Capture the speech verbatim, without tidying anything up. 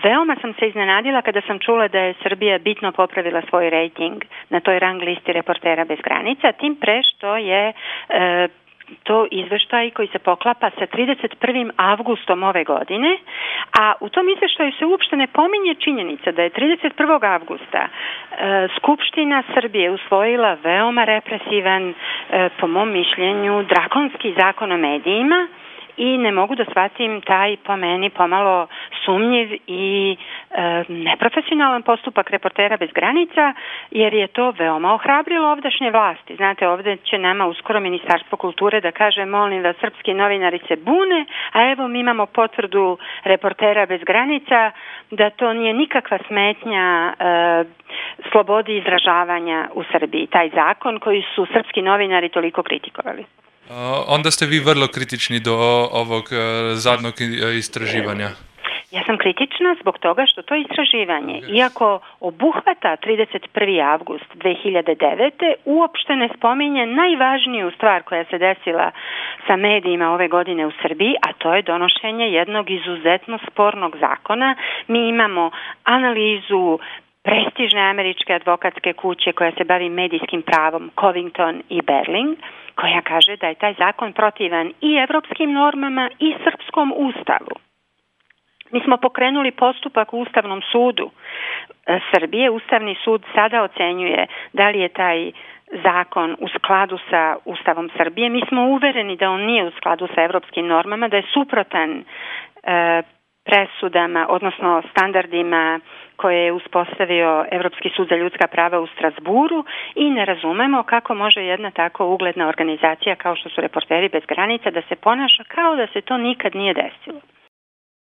Veoma sam se iznenadila kada sam čula da je Srbija bitno popravila svoj rejting na toj rang listi Reportera bez granica, tim pre što je to izveštaj koji se poklapa sa trideset prvim avgustom ove godine, a u tom izveštaju se uopšte ne pominje činjenica da je trideset prvog avgusta e, Skupština Srbije usvojila veoma represivan, e, po mom mišljenju, drakonski zakon o medijima, i ne mogu da shvatim taj, po meni, pomalo sumnjiv i e, neprofesionalan postupak Reportera bez granica, jer je to veoma ohrabrilo ovdašnje vlasti. Znate, ovde će nama uskoro Ministarstvo kulture da kaže, molim vas, srpski novinari se bune, a evo mi imamo potvrdu Reportera bez granica da to nije nikakva smetnja e, slobodi izražavanja u Srbiji. Taj zakon koji su srpski novinari toliko kritikovali. Uh, onda ste vi vrlo kritični do ovog uh, zadnjeg istraživanja. Ja sam kritična zbog toga što to istraživanje, iako obuhvata trideset prvi avgust dve hiljade devete, uopšte ne spominje najvažniju stvar koja se desila sa medijima ove godine u Srbiji, a to je donošenje jednog izuzetno spornog zakona. Mi imamo analizu prestižne američke advokatske kuće koja se bavi medijskim pravom, Covington i Berling, koja kaže da je taj zakon protivan i evropskim normama i srpskom ustavu. Mi smo pokrenuli postupak u Ustavnom sudu Srbije. Ustavni sud sada ocenjuje da li je taj zakon u skladu sa Ustavom Srbije. Mi smo uvereni da on nije u skladu sa evropskim normama, da je suprotan e, presudama, odnosno standardima koje je uspostavio Evropski sud za ljudska prava u Strazburu, i ne razumemo kako može jedna tako ugledna organizacija kao što su Reporteri bez granica da se ponaša kao da se to nikad nije desilo.